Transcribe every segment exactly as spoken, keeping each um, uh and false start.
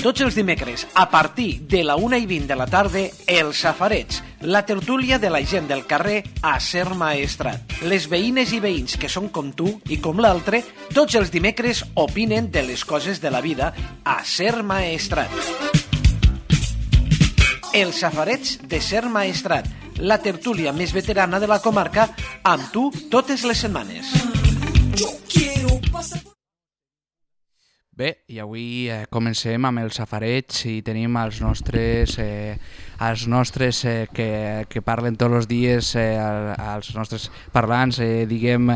Tots els dimecres, a partir de la una i vint de la tarda, El Safareig, la tertúlia de la gent del carrer a Ser Maestrat. Les veïnes i veïns que són com tu i com l'altre, tots els dimecres opinen de les coses de la vida a Ser Maestrat. El Safareig de Ser Maestrat, la tertúlia més veterana de la comarca, amb tu totes les setmanes. Bé, i avui eh, comencem amb el safareig i tenim els nostres, eh, els nostres eh, que, que parlen tots els dies, eh, els nostres parlants, eh, diguem,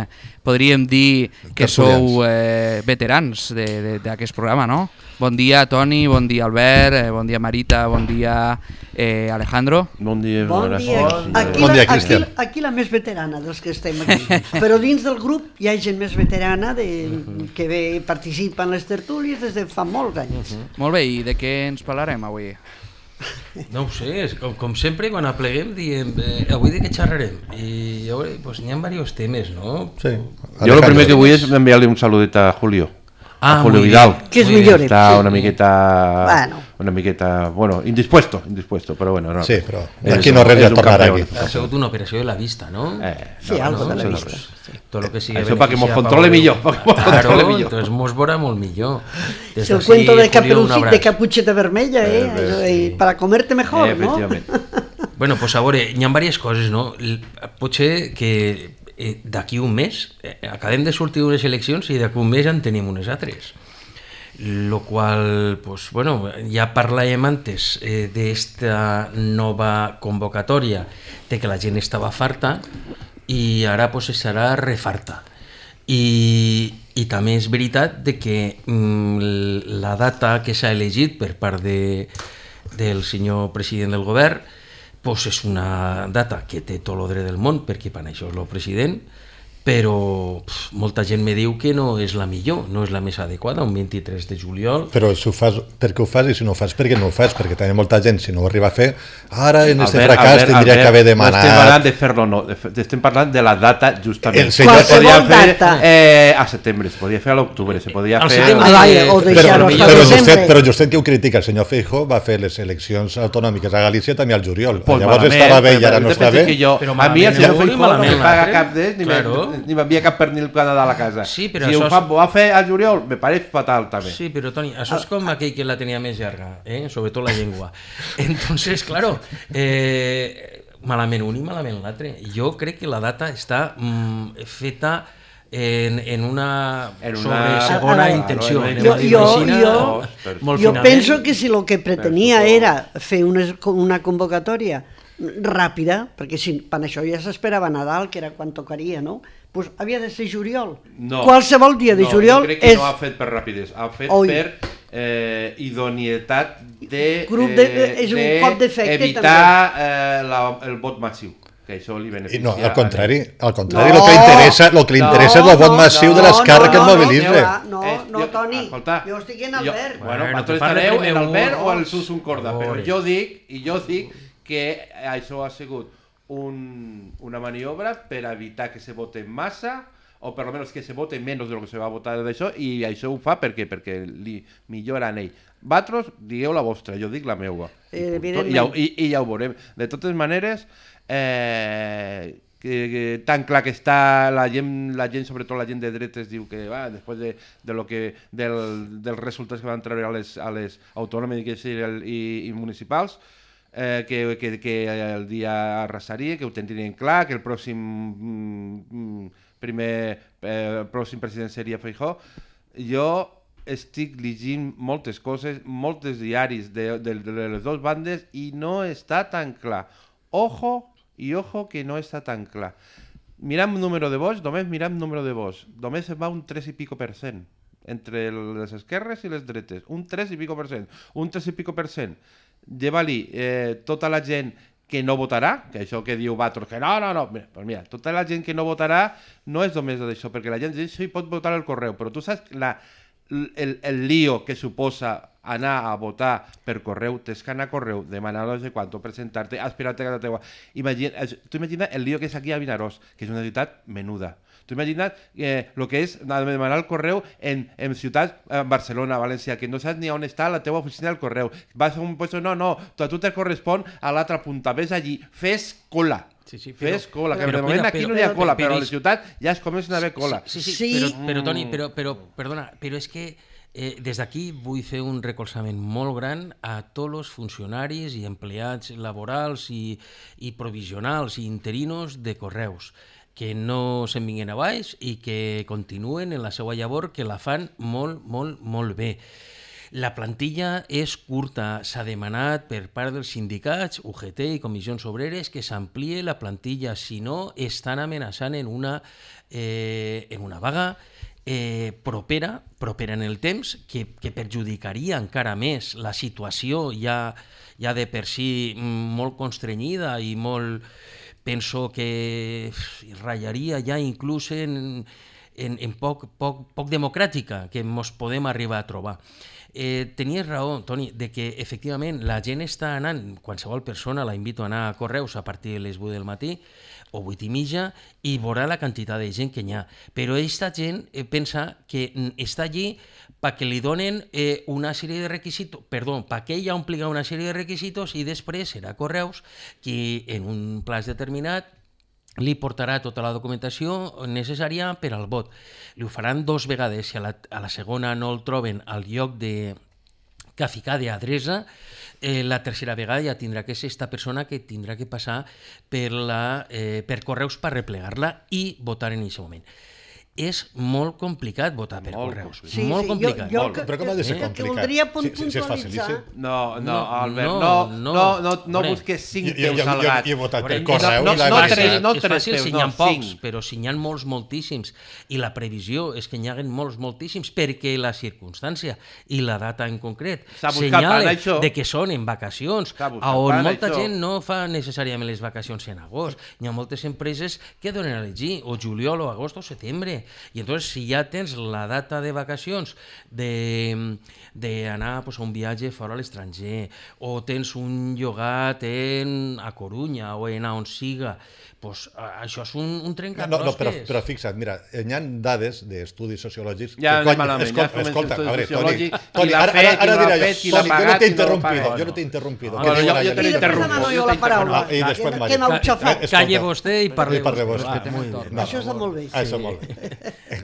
podríem dir que sou eh, veterans d'aquest programa, no? Bon dia, Toni, bon dia, Albert, eh, bon dia, Marita, bon dia, eh, Alejandro. Bon dia, bon dia. Aquí, bon dia, la, aquí, aquí la més veterana dels que estem aquí. Però dins del grup hi ha gent més veterana de, que ve, participa en les tertúlies des de fa molts anys. Uh-huh. Molt bé, i de què ens parlarem avui? No ho sé, és com, com sempre quan apleguem diem eh, avui de què xerrarem i llavors pues, n'hi ha diversos temes, no? Sí. Jo el primer que vull és enviar-li un saludet a Julio. Ah, a Julio Vidal, que es millor, está sí. una miqueta, bueno. una miqueta, bueno, indispuesto, indispuesto, pero bueno, no. Sí, però aquí no res a tornar aquí. Ha sigut una operació de la vista, no? Eh, sí, no, algo no, de la no, vista. no. Sí. Tot lo que sigui això perquè mos beneficia controle Pablo. millor, perquè mos Claro, controle millor. Entonces mos veurà molt millor. Des Es el d'ací, cuento de, Julio, un Caperucita, abraç. de Capucheta Vermella, eh? Eh, Allò, sí. eh, para comerte mejor, Eh, no? efectivament. Bueno, pues a veure, hi ha diverses coses, no? L- Potser que eh, d'aquí un mes eh, acabem de sortir d'unes eleccions i d'aquí un mes en tenim unes altres. Lo qual, pues, bueno, ja parlàvem antes eh, d'esta nova convocatòria de que la gent estava farta i ara pues, serà refarta. I, i també és veritat de que mm, la data que s'ha elegit per part de, del senyor president del govern pues, és una data que té tot el dret del món perquè per això és el president, però pf, molta gent me diu que no és la millor, no és la més adequada, un vint-i-tres de juliol. Però si ho fas, per què ho fas i si no ho fas, per què no ho fas? Perquè també molta gent, si no ho arriba a fer, ara en aquest fracàs tindria que haver demanat... No estem parlant de fer-lo, no, estem parlant de la data justament. El senyor podia fer data. eh, a setembre, se podia fer a l'octubre, se podia Al fer... setembre. Ah, vale, o Però, deixar-ho però, hasta però, desembre. Justet, però Justet que ho critica, el senyor Feijóo va fer les eleccions autonòmiques a Galícia també al juliol. Pues Llavors malament, estava bé i però ara no jo està penso bé. que jo, Però a mi el malament senyor el Feijóo no malament me paga l'altre. cap d'ells ni, Claro. me, ni m'envia cap pernil cada de la casa. Sí, però si això ho és- fa, ho va fer al juliol, me pareix fatal també. Sí, però Toni, això és com aquell que la tenia més llarga, eh? Sobretot la llengua. Entonces, claro, eh, malament un i malament l'altre. Jo crec que la data està mm, feta en, en una, En una- sobre segona Ah, ah, intenció. claro, anem Jo, a dir jo, medicina, jo, molt jo finament. penso que si el que pretenia Penso que- era fer una, una convocatòria ràpida, perquè si, per això ja s'esperava Nadal, que era quan tocaria, no? Pues havia de ser juliol. No. Qualsevol dia de no, juliol jo crec que és... no ha fet per rapidesa, ha fet Oi. per eh, idoneïtat de, Grup de- és un cop d'efecte, evitar eh, la, el vot massiu, que això li I beneficia. no, al a contrari, ell. al contrari, No. el que li interessa, el que li No, interessa és el vot no, massiu de no, l'esquerra no, que no, el mobilitza. no, Eh, no, Toni, escolta, jo estic en jo- Albert. Bueno, Bueno, vosaltres te parla estareu primer en Albert un- o al Susun Corda, però Oi. jo dic, i jo dic que això ha sigut un, una maniobra per evitar que se vote massa, o per almenys que se vote menys de lo que se va votar d'això, i això ho fa perquè perquè li millora en ell. Vosaltres digueu la vostra, jo dic la meua. Eh, I, punt. I, ja, ho- evidentment. i, I ja ho veurem. De totes maneres, eh, que, que tan clar que està la gent, la gent, sobretot la gent de dretes, diu que va, després de, de lo que, del, dels resultats que van treure a les, a les autònomes i, i, i municipals, eh, que, que, que el dia arrasaria, que ho tindrien clar, que el pròxim mm, primer eh, pròxim president seria Feijóo. Jo estic llegint moltes coses, molts diaris de, de, de les dues bandes i no està tan clar. Ojo i ojo que no està tan clar. Miram número de vots, només miram número de vots. Només va un tres i pico per cent entre les esquerres i les dretes. Un tres i pico per cent. Un tres i pico per cent. Lleva-li eh, tota la gent que no votarà, que això que diu Bator, que no, no, no, mira, pues mira, tota la gent que no votarà no és només d'això, perquè la gent d'això hi pot votar al correu, però tu saps la, el, el lío que suposa anar a votar per correu, tens que anar a correu, demanar no sé quanto, presentar-te, esperar-te a casa teua. Imagina, tu imagina el lío que és aquí a Vinaròs, que és una ciutat menuda. Tu imagina't eh, el que és demanar el correu en, en ciutats, en Barcelona, València, que no saps ni on està la teva oficina del correu. Vas a un puesto, no, no, tu, a tu te correspon a l'altra punta, ves allí, fes cola. Sí, sí, però, fes cola, que però, de moment però, aquí però, no hi ha cola, però, però, però a la ciutat ja es comencen a haver cola. Sí, sí, sí, Sí. Però, però Toni, però, però, perdona, però és que eh, des d'aquí vull fer un recolzament molt gran a tots els funcionaris i empleats laborals i, i provisionals i interinos de Correus, que no se'n vinguin a baix i que continuen en la seva llavor, que la fan molt, molt, molt bé. La plantilla és curta, s'ha demanat per part dels sindicats, U G T i comissions obreres, que s'amplie la plantilla, si no estan amenaçant en una, eh, en una vaga eh, propera, propera en el temps, que, que perjudicaria encara més la situació ja, ja de per si molt constrenyida i molt, penso que ratllaria ja inclús en, en, en poc, poc, poc democràtica que ens podem arribar a trobar. Eh, tenies raó, Toni, de que efectivament la gent està anant, qualsevol persona la invito a anar a Correus a partir de les vuit del matí o vuit i mitja i veurà la quantitat de gent que n'hi ha. Però aquesta gent eh, pensa que està allí perquè li donen eh, una sèrie de requisitos, perdó, perquè ella ompli una sèrie de requisitos i després serà Correus qui en un plaç determinat li portarà tota la documentació necessària per al vot. Li ho faran dos vegades, si a la, a la segona no el troben al lloc de que ficar d'adreça, eh, la tercera vegada ja tindrà que ser esta persona que tindrà que passar per, la, eh, per Correus per replegar-la i votar en aquest moment. És molt complicat votar per Molt Correus. Sí, molt sí, complicat. Jo, jo Molt. que, Però com ha de ser que, que complicat? voldria Si- si- si és puntualitzar... facilíssim. No, no, No, Albert, no, no, no, no. no, no Hombre, busques cinc Jo- jo- teus jo- al jo- gat. jo he votat per Veure, Correus no, i la no, veritat- tres, no és tres fàcil teus, si n'hi ha no, pocs, cinc. però si n'hi ha molts, moltíssims, i la previsió és que n'hi hagin molts, moltíssims, perquè la circumstància i la data en concret S'ha buscat senyalen pan, això. de que són en vacacions, S'ha buscat on pan, molta això. gent no fa necessàriament les vacacions en agost. Hi ha moltes empreses que donen a elegir, o juliol, o agost, o setembre. I entonces, si ja tens la data de vacacions d'anar pues, a un viatge fora a l'estranger, o tens un llogat en, a Corunya o en on siga, pues, això és un, un trencaclosques. No, no, però, però fixa't, mira, hi ha dades d'estudis sociològics... Ja que, anem malament, ja escolta, comença escolta, l'estudi a veure, Toni, sociològic, qui Toni, l'ha ara, fet, ara, qui ara no l'ha diré fet, jo, qui l'ha Toni, jo no pagat, t'he qui no l'ha interrompido, pagat. jo no t'he interrompido. Ah, que no, diu jo- la jo gent. te I després interrompo, demano jo jo la t'he paraula. interrompo. I després Que- Mari. que no ho xafeu. Eh, Calle vostè i parle I parle vostè. vostè. Respectem el torn. No. Això està molt bé. Ah, això molt bé.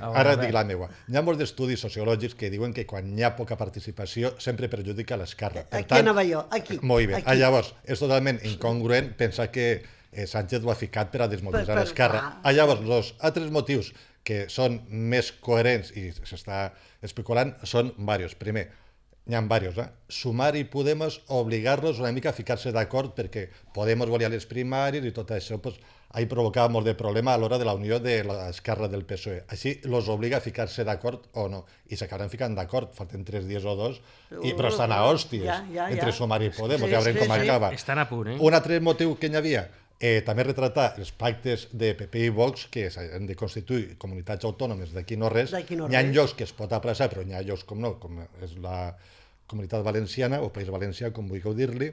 Ara dic la meva. Hi ha molts d'estudis sociològics que diuen que quan hi ha poca participació sempre perjudica l'esquerra. Per Aquí anava jo, aquí. Molt bé. Aquí. Ah, llavors, és totalment incongruent pensar que eh, Sánchez ho ha ficat per a desmobilitzar Per- per- l'esquerra. ah. Ah, llavors, els altres motius que són més coherents i s'està especulant són diversos. Primer, n'hi ha diversos, eh? Sumar i Podemos obligar-los una mica a ficar-se d'acord perquè Podemos volia les primàries i tot això pues, ahí provocava molt de problema a l'hora de la unió de l'esquerra del P S O E. Així los obliga a ficar-se d'acord o no. I s'acabaran ficant d'acord, falten tres dies o dos, i, però estan a hòsties Ja, ja, ja. entre Sumar i Podemos, Sí, ja veurem sí, com sí. acaba. Estan a punt, eh? Un altre motiu que n'hi havia, eh, també retratar els pactes de P P i Vox que s'han de constituir comunitats autònomes d'aquí no res. D'aquí no N'hi ha res. llocs que es pot aplaçar, però n'hi ha llocs com no, com és la Comunitat Valenciana o País Valencià, com vulgueu dir-li,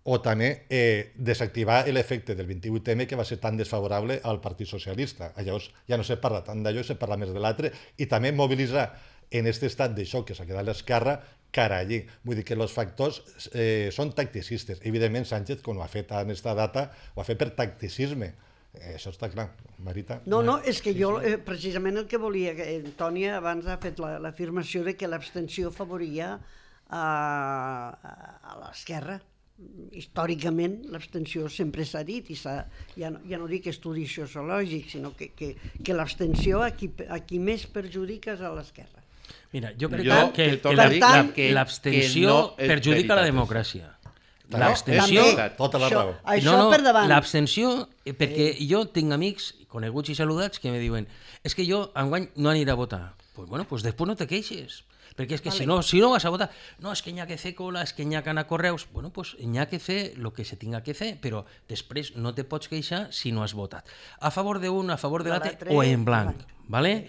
o també eh, desactivar l'efecte del vint-i-vuit eme que va ser tan desfavorable al Partit Socialista. Llavors ja no se parla tant d'allò, se parla més de l'altre, i també mobilitzar en aquest estat de xoc que s'ha quedat l'esquerra cara allí. Vull dir que els factors eh, són tacticistes. Evidentment, Sánchez, quan ho ha fet en aquesta data, ho ha fet per tacticisme. Eh, això està clar. Marita? No, no, és que jo eh, precisament el que volia, que Antònia abans ha fet la- l'afirmació de que l'abstenció favoria a, a, a l'esquerra. Històricament l'abstenció sempre s'ha dit, i s'ha, ja, no, ja no dic estudis sociològics, sinó que, que, que l'abstenció a qui, a qui més perjudica és a l'esquerra. Mira, jo crec Jo que, te que, torno a dir la- que- l'abstenció que no és perjudica la veritat, democràcia. No, L'abstenció... També, Tota la això, raó. això no, no, per davant. l'abstenció, eh, perquè jo tinc amics coneguts i saludats que me diuen és que jo enguany no aniré a votar. Pues bueno, pues després no te queixes. Perquè és que Vale. si no, si no vas a votar, no, és que n'hi ha que fer cola, és que n'hi ha que anar a correus, bueno, pues n'hi ha que fer el que se tinga que fer, però després no te pots queixar si no has votat. A favor d'un, a favor de l'altre, l'altre, o en blanc, blanc. vale?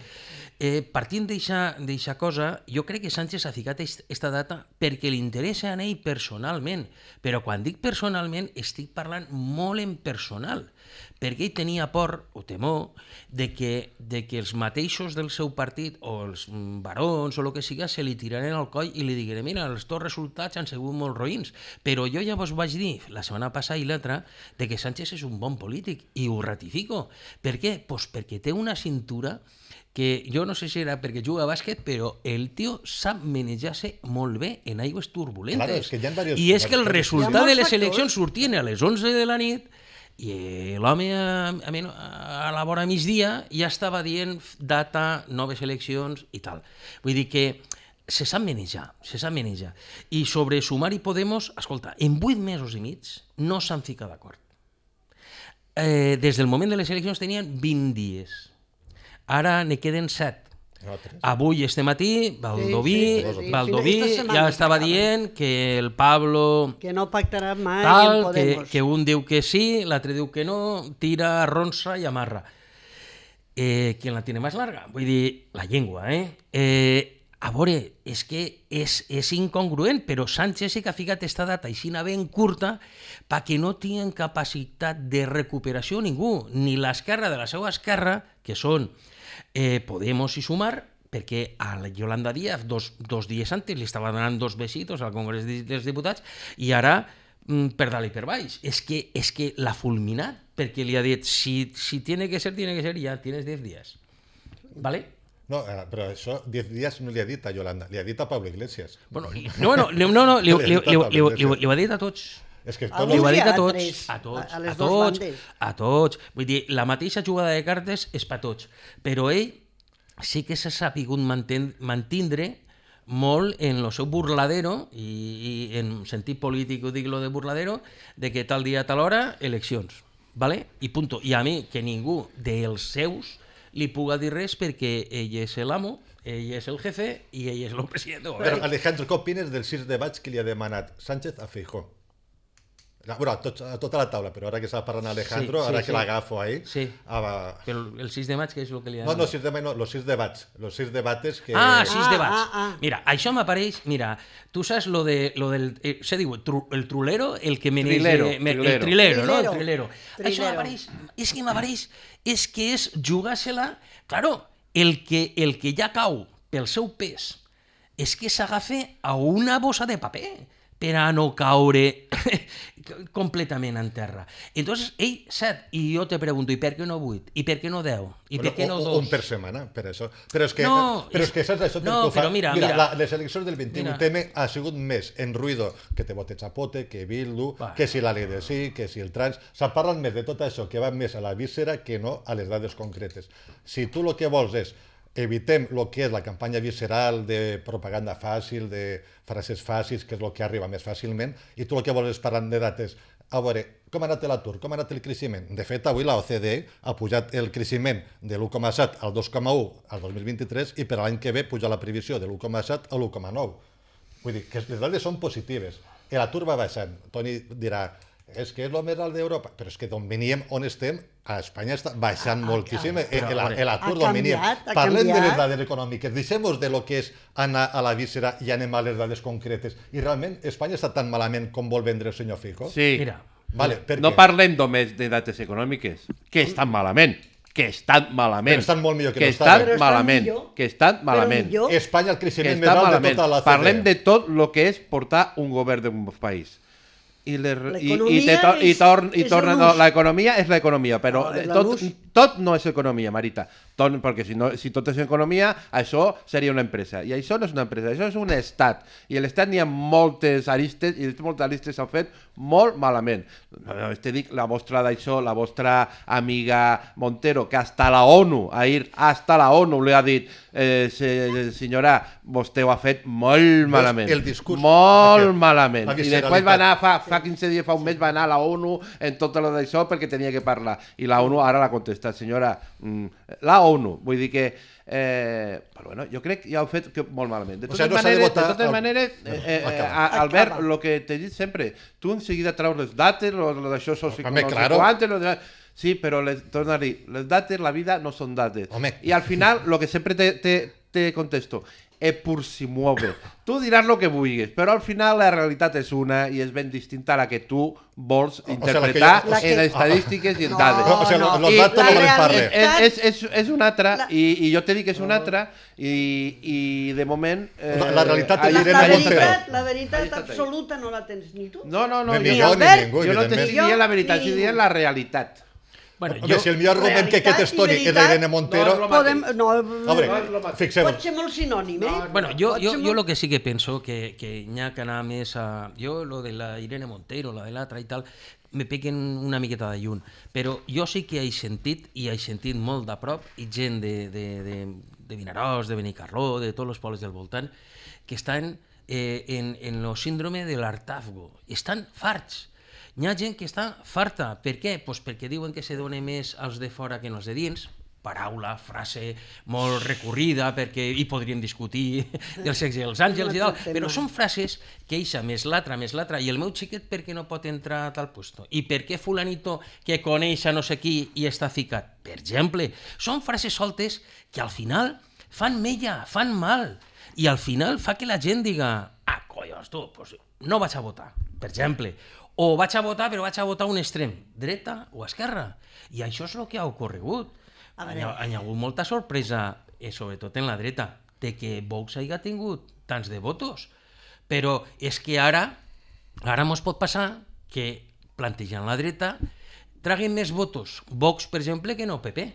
Eh, partint d'eixa cosa, jo crec que Sánchez ha ficat aquesta data perquè li interessa a ell personalment, però quan dic personalment estic parlant molt en personal, perquè ell tenia por o temor de que, de que els mateixos del seu partit o els barons o el que siga se li tiraren al coll i li digueren mira, els teus resultats han sigut molt roïns, però jo ja vos vaig dir la setmana passada i l'altra de que Sánchez és un bon polític i ho ratifico. Per què? Pues perquè té una cintura que jo no sé si era perquè juga a bàsquet, però el tio sap manejar-se molt bé en aigües turbulentes. Claro, és que hi ha varios- I és que el varios- resultat Hi ha de les molts eleccions factors. sortien a les onze de la nit i l'home a, a, a la vora migdia ja estava dient data, noves eleccions i tal. Vull dir que se sap manejar, se sap manejar. I sobre Sumar i Podemos, escolta, en vuit mesos i mig no s'han ficat d'acord. Eh, des del moment de les eleccions tenien vint dies. Ara ne queden set. No, tres. Avui, este matí, Baldoví, Sí, sí, sí. Baldoví Esta setmana ja estava s'acaba. dient que el Pablo Que no pactarà mai tal, en que, Podemos. que un diu que sí, l'altre diu que no, tira, arronsa i amarra. Eh, ¿Quién la tiene más larga? Vull dir, la llengua, eh? eh a veure, és que és, és incongruent, però Sánchez sí que ha ficat esta data així ben curta perquè no tinguin capacitat de recuperació ningú, ni l'esquerra de la seva esquerra, que són eh, Podemos i Sumar, perquè a la Yolanda Díaz dos, dos dies antes li estava donant dos besitos al Congrés dels Diputats i ara mm, per dalt i per baix. És que, és que l'ha fulminat perquè li ha dit si, si tiene que ser, tiene que ser, ja tienes diez días. ¿Vale? No, eh, però això, diez dies no li ha dit a Yolanda, li ha dit a Pablo Iglesias. Bueno, li- no, no, li- no, no li, li, li, li, li, li, li ho ha dit a tots. És que A tot Li ho ha Avui dit a a tots, tres, a tots, a- a a, les dos tots, bandes. a tots. Vull dir, la mateixa jugada de cartes és per tots, però ell sí que s'ha sabut manten, mantindre molt en el seu burladero, i, i en sentit polític ho dic lo de burladero, de que tal dia, tal hora, eleccions. ¿Vale? I punto. I a mi, que ningú dels seus li puga dir res perquè ell és l'amo, ell és el jefe i ell és el president de Però, govern. Alejandro, què opines del sis de maig que li ha demanat Sánchez a Feijó? La, bueno, a, tot, a tota la taula, però ara que està parlant Alejandro, Sí, sí, ara sí. que l'agafo ahí... Sí. Ah, va. Però el sis de maig, què és el que li ha No, no, demanat? sis de maig no, los sis debats. Los sis debates que... Ah, sis Ah, debats. ah, ah. Mira, això m'apareix... Mira, tu saps lo, de, lo del... Eh, se diu tru, el trulero, el que menege... Trilero, me- trilero. El trilero, no? El Trilero. trilero. Això Trilero. m'apareix... És que m'apareix... És que és jugar-se-la... Claro, el que, el que ja cau pel seu pes és que s'agafa a una bossa de paper per a no caure completament en terra. Entonces, ell, set, i jo te pregunto, i per què no vuit? I per què no deu? I per què no o- dos? o- Un per setmana, per això. Però és que, No, però és- és que saps això? no, que ho fa- però mira, mira, mira. La, les eleccions del vint-i-vuit Mira. M ha sigut més en ruïdo que te vote Chapote, que Bildu, Va. que si la ley de sí, que si el trans... S'ha parlat més de tot això que va més a la víscera que no a les dades concretes. Si tu el que vols és evitem el que és la campanya visceral de propaganda fàcil, de frases fàcils, que és el que arriba més fàcilment, i tu el que vols és parlar de dates. A veure, com ha anat l'atur? Com ha anat el creixement? De fet, avui la O C D E ha pujat el creixement de l'u coma set al dos coma u al dos mil vint-i-tres i per a l'any que ve puja la previsió de l'u coma set a l'u coma nou. Vull dir que les dades són positives. L'atur va baixant. Toni dirà, és que és el més alt d'Europa, però és que d'on veníem, on estem, a Espanya està baixant moltíssim eh, però, el- a veure, l'atur ha d'on veníem. canviat, ha Parlem de les canviat. dades econòmiques, deixem-nos de lo que és anar a la víscera i anem a les dades concretes. I realment Espanya està tan malament com vol vendre el senyor Fico? Sí. Mira, Vale, per No què? parlem només de dates econòmiques, que estan malament, que estan malament. Però estan molt millor que no que estaven. estan Però estan malament, millor. que estan Però malament. millor. Espanya el Que creixement més està alt de malament. tota la O C D E. Parlem de tot el que és portar un govern d'un país. I, les, i, i, L'economia te, to, i, és- torn, i és torna, l'ús. no, l'economia és l'economia, però Ah, la tot, l'ús. tot no és economia, Marita. Tot, perquè si, no, si tot és economia, això seria una empresa. I això no és una empresa, això és un estat. I a l'estat n'hi ha moltes aristes, i moltes aristes s'han fet molt malament. Te dic, la vostra d'això, la vostra amiga Montero, que hasta la ONU, ahir, hasta la ONU li ha dit, eh, se, senyora, vostè ho ha fet molt malament. el discurs Molt aquest, malament. la I després visceralitat. va anar, fa, fa quinze dies, fa un mes, va anar a la ONU en tot el d'això perquè tenia que parlar. I la ONU ara l'ha contestat aquesta senyora, la ONU, vull dir que Eh, però bueno, jo crec que ja ho he fet que molt malament. De totes, o sigui, no maneres, de totes el... maneres, eh, eh, Albert, el que t'he dit sempre, tu en seguida treus les dates, lo, lo d'això socioeconòmic, claro. De... sí, però les, torna a dir, les dates, la vida no són dates. Home. I al final, el que sempre te, te, te contesto, e pur si muove. Tu diràs el que vulguis, però al final la realitat és una i és ben distinta a la que tu vols interpretar o sigui, en que... estadístiques i en dades. No, o sigui, no, los datos no valen per res. És, és, és una altra, la... i, i jo te dic que és una altra, i, i de moment... Eh, la, la realitat la, la, veritat, la veritat absoluta no la tens ni tu. No, no, no. Ni, ni jo, ni ningú, jo no t'estic dient la veritat, estic dient la realitat. Bueno, Home, jo... si el millor argument que aquest històric és l'Irene Montero... No, podem... no, a veure, fixem-nos. Pot ser molt sinònim, eh? No, bueno, jo, jo, jo lo que sí que penso que, que hi ha que anar més a... Jo, lo de la Irene Montero, la de l'altra i tal, me peguen una miqueta de lluny. Però jo sí que he sentit, i he sentit molt de prop, i gent de, de, de, de Vinaròs, de Benicarló, de tots els pobles del voltant, que estan eh, en, en el síndrome de l'hartazgo. Estan farts. Hi ha gent que està farta. Per què? Pues perquè diuen que se dona més als de fora que als de dins. Paraula, frase molt recurrida, perquè hi podríem discutir del sexe dels àngels i tal, però són frases que eixa més l'altra, més l'altra, i el meu xiquet per què no pot entrar a tal puesto? I per què fulanito que coneix a no sé qui i està ficat? Per exemple, són frases soltes que al final fan mella, fan mal, i al final fa que la gent diga ah, collons, tu, pues no vaig a votar, per exemple, o vaig a votar, però vaig a votar un extrem, dreta o esquerra. I això és el que ha ocorregut. Hi ha, hi ha hagut molta sorpresa, eh, sobretot en la dreta, de que Vox hagi tingut tants de votos. Però és que ara, ara mos pot passar que, plantejant la dreta, traguen més votos Vox, per exemple, que no P P.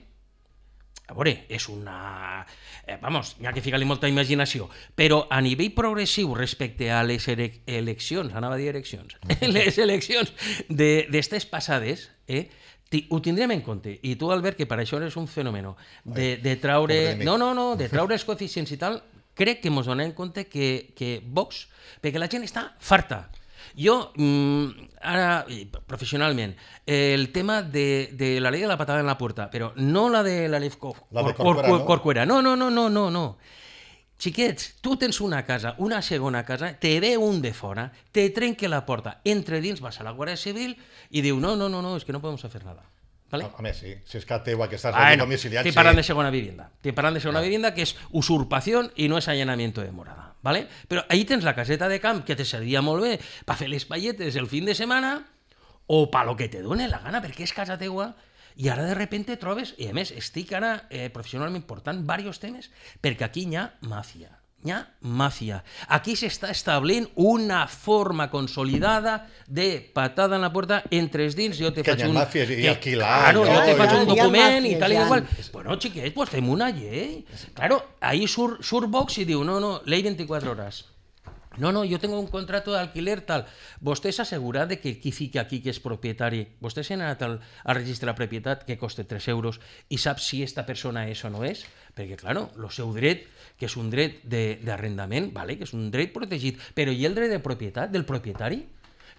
A veure, és una... Eh, vamos, hi ha que ficar-li molta imaginació, però a nivell progressiu respecte a les eleccions, anava a dir eleccions, les eleccions d'estes passades, eh, ho tindrem en compte. I tu, Albert, que per això eres un fenomen de, de traure... No, no, no, de traure els coeficients i tal, crec que ens donem en compte que, que Vox, perquè la gent està farta. Jo, ara, professionalment, el tema de, de la llei de la patada en la puerta, però no la de la Leif Corcuera, no, no, no, no, no, no. Xiquets, tu tens una casa, una segona casa, te ve un de fora, te trenque la porta, entre dins, vas a la Guàrdia Civil i diu, no, no, no, no, és que no podem fer nada. ¿Vale? A més, sí, si és que teva que estàs bueno, domiciliat... Te parlant de segona vivienda, te parlant de segona no. vivienda que és usurpació i no és allanamiento de morada. ¿Vale? Però ahí tens la caseta de camp que te servia molt bé per fer les palletes el fin de setmana o per lo que te done la gana, perquè és casa teua, i ara de repente trobes, i a més estic ara eh, professionalment portant diversos temes, perquè aquí hi ha màfia. Hi ha màfia. Aquí s'està establint una forma consolidada de patada en la puerta entre els dins. Jo te que faig hi ha un... màfia i alquilar. Claro, jo te faig un document i tal i igual. Ja. Bueno, xiquets, pues fem una llei. Claro, ahí surt, surt Vox i diu, no, no, ley veinticuatro horas. No, no, yo tengo un contrato de alquiler tal. Vostè s'assegura de que qui fica aquí que és propietari, vostè s'ha anat al, al registre de propietat que costa tres euros i sap si esta persona és o no és? Perquè, claro, el seu dret, que és un dret d'arrendament, vale, que és un dret protegit, però i el dret de propietat del propietari?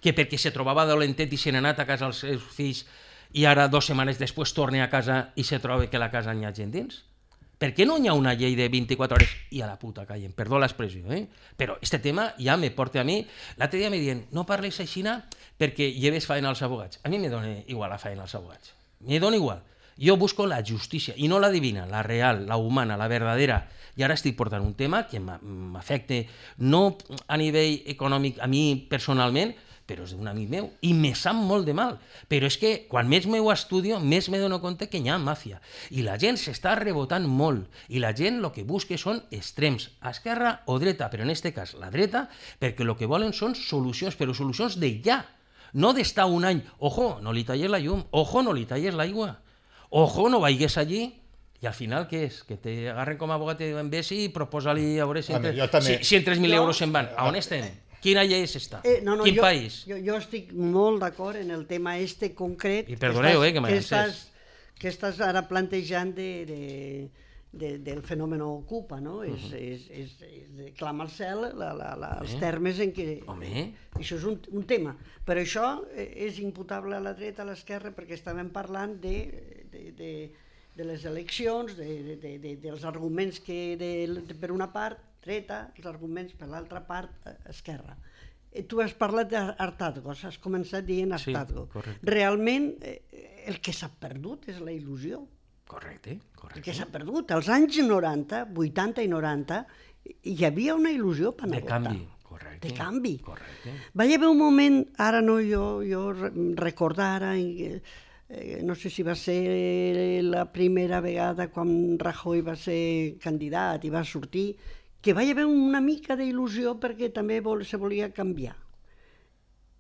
Que perquè se trobava dolentet i se n'ha anat a casa als seus fills i ara dues setmanes després torna a casa i se troba que la casa n'hi ha gent dins? Per què no hi ha una llei de vint-i-quatre hores i a la puta callen? Perdó l'expressió, eh? Però este tema ja me porta a mi... L'altre dia me diuen, no parles així perquè lleves faena als abogats. A mi me dona igual la faena als abogats. Me dona igual. Jo busco la justícia, i no la divina, la real, la humana, la verdadera. I ara estic portant un tema que m'afecta no a nivell econòmic a mi personalment, però és d'un amic meu, i me sap molt de mal. Però és que quan més m'ho estudio, més me dono compte que hi ha màfia. I la gent s'està rebotant molt. I la gent el que busca són extrems, a esquerra o dreta, però en aquest cas la dreta, perquè el que volen són solucions, però solucions de ja. No d'estar un any, ojo, no li talles la llum, ojo, no li talles l'aigua, ojo, no vagis allí. I al final què és? Que te agarren com a abogat i diuen, vés i proposa-li a veure si, entre, si, si en tres mil euros se'n van. A on estem? Quina llei és esta? Eh, no, no, Quin jo, país? Jo, jo estic molt d'acord en el tema este concret I perdoneu, que estàs, eh, que m'ha que encès. estàs, que estàs ara plantejant de, de, de, del fenomen Ocupa, no? Uh -huh. és, és, és, és clama al cel la, la, la, els eh? termes en què... Home. Això és un, un tema. Però això és imputable a la dreta, a l'esquerra, perquè estàvem parlant de, de, de, de les eleccions, de, de, de, de, dels arguments que de, de, per una part dreta, els arguments per l'altra part esquerra. Tu has parlat d'Artazgo, has començat dient Artazgo. Sí, realment el que s'ha perdut és la il·lusió. Correcte, correcte. El que s'ha perdut. Als anys noranta, vuitanta i noranta, hi havia una il·lusió per anar a votar. De canvi, correcte. De canvi. Correcte. Va haver un moment, ara no jo, jo recordar, eh, no sé si va ser la primera vegada quan Rajoy va ser candidat i va sortir, que va haver una mica d'il·lusió perquè també vol, se volia canviar.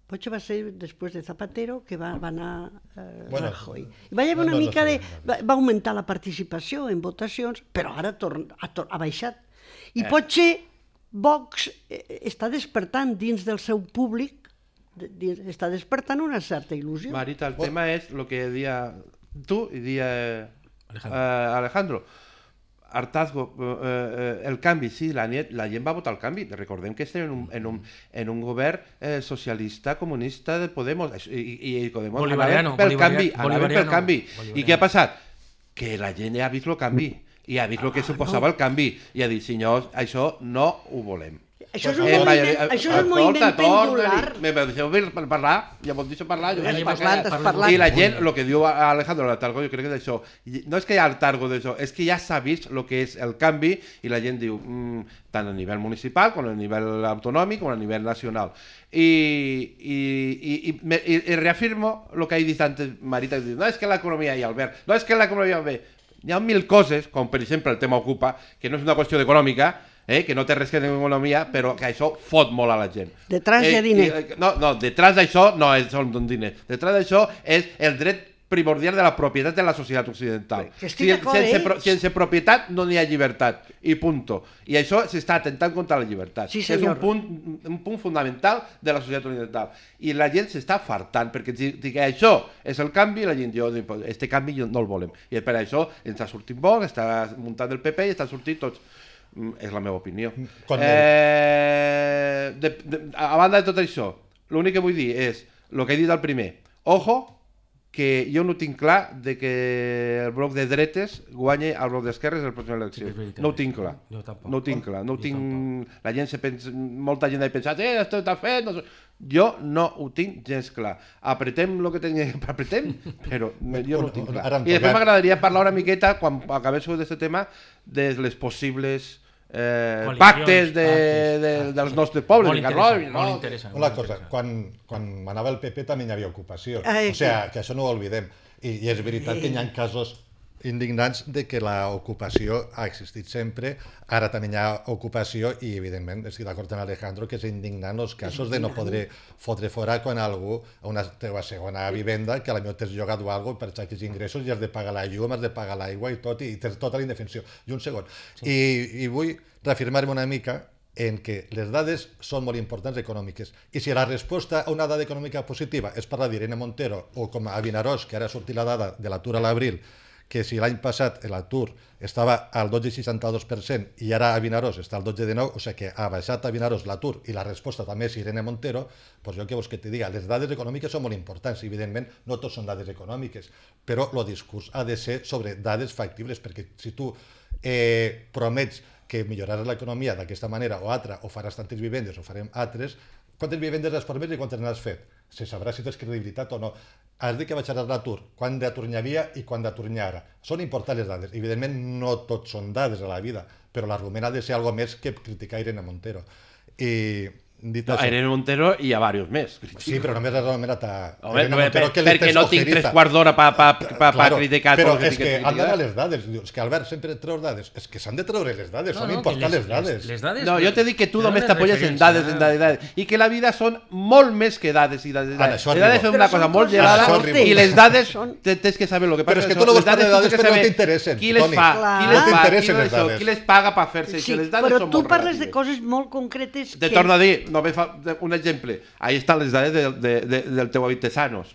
Potser va ser després de Zapatero que va, va anar eh, bueno, Rajoy. Va haver una no, no, mica no, no, de... Va, va augmentar la participació en votacions, però ara torn, ha, tor, ha baixat. I eh. potser Vox eh, està despertant dins del seu públic, de, dins, està despertant una certa il·lusió. Marita, el oh. tema és el que dia tu i dia Alejandro. Eh, Alejandro. Artazgo, eh, el canvi, sí, la, la gent va votar el canvi. Recordem que estem en un, en un, en un govern eh, socialista, comunista de Podemos, i, i Podemos anaven pel canvi, anaven pel canvi. I què ha passat? Que la gent ja ha vist el canvi, i ha vist el que suposava el canvi, i ha dit, senyors, això no ho volem. Això és un eh, moviment, eh, això és un moviment pendular. Me deixeu parlar, ja m'ho deixo parlar. Jo has parlat, has parlat. I la gent, el que diu Alejandro Artazgo, jo crec que és això. No és que hi ha Artazgo d'això, és que ja s'ha vist el que és el canvi i la gent diu, mm, tant a nivell municipal com a nivell autonòmic com a nivell nacional. I, i, i, i, i, i reafirmo el que he dit antes, Marita, que diu, no és que l'economia i Albert, no és que l'economia va bé. Hi ha mil coses, com per exemple el tema Ocupa, que no és una qüestió d'econòmica, Eh, que no té res que veure amb economia, però que això fot molt a la gent. Detrás hi ha diner. Eh, no, no, detrás d'això no és, són diners. Detrás d'això és el dret primordial de la propietat de la societat occidental. Que estic d'acord, sense, eh? pro, sense propietat no n'hi ha llibertat, i punto. I això s'està atentant contra la llibertat. Sí, és un punt, un punt fundamental de la societat occidental. I la gent s'està fartant, perquè si, si això és el canvi, la gent diu, este canvi no el volem. I per això ens ha sortit Vox, està muntant el P P i està sortint tots. És la meva opinió. Eh, de, de, a banda de tot això, l'únic que vull dir és el que he dit al primer. Ojo, que jo no tinc clar de que el bloc de dretes guanyi el bloc d'esquerres en la pròxima elecció. No ho tinc clar. Jo tampoc. No ho tinc clar. No ho tinc... La gent se pensa... Molta gent ha pensat, eh, esto està fet... No... Jo no ho tinc gens clar. Apretem el que tenim que apretem, però jo no ho tinc clar. I després m'agradaria parlar una miqueta, quan acabéssiu d'aquest tema, de les possibles eh, pactes, de, de, dels nostres pobles. Molt interessant, no? Molt interessant. Una cosa, quan, quan manava el P P també hi havia ocupació. Ai, o sigui, que això no ho oblidem. I, i és veritat que hi ha casos indignants de que l'ocupació ha existit sempre, ara també hi ha ocupació i evidentment estic d'acord amb Alejandro que és indignant els casos de no poder fotre fora quan algú a una teva segona vivenda que a la millor t'has llogat o alguna cosa per xaquis ingressos i has de pagar la llum, has de pagar l'aigua i tot i tens tota la indefensió. I un segon. Sí. I, I vull reafirmar-me una mica en que les dades són molt importants econòmiques. I si la resposta a una dada econòmica positiva és parlar d'Irene Montero o com a Vinaròs, que ara ha sortit la dada de l'atur a l'abril, que si l'any passat l'atur estava al dotze coma seixanta-dos per cent i ara a Vinaròs està al dotze coma dinou, o sigui que ha baixat a Vinaròs l'atur i la resposta també és Irene Montero, doncs jo què vols que te diga, les dades econòmiques són molt importants, evidentment no tots són dades econòmiques, però el discurs ha de ser sobre dades factibles, perquè si tu eh, promets que milloraràs l'economia d'aquesta manera o altra, o faràs tantes vivendes o farem altres, quantes vivendes has promès i quantes n'has fet? Se sabrà si tens credibilitat o no. Has dit que baixaràs l'atur, quant d'atur n'hi havia i quant d'atur n'hi ha ara. Són importants les dades. Evidentment no tot són dades a la vida, però l'argument ha de ser alguna més que criticar Irene Montero. I dit no, això... A Irene Montero i a diversos més. Sí, però només has anomenat a Home, Irene Montero, per, que perquè no tinc tres quarts d'hora per pa, pa, pa, claro, criticar. Però és que han d'anar les dades. És que Albert sempre treus dades. És que s'han de treure les dades, no, són no, importants les, les dades. Les, les dades. No, jo t'he dit que tu només t'apoyes en dades, en dades, dades. I que la vida són molt més que dades i dades. Ara, les dades són una cosa molt gelada i les dades tens que saber el que passa. Però és que tu no vols parlar de dades perquè no t'interessen. Qui les fa? Qui les paga per fer-se? Però tu parles de coses molt concretes. Te torno a dir, només fa un exemple. Ahí estan les dades de, de, de, del teu Avitesanos.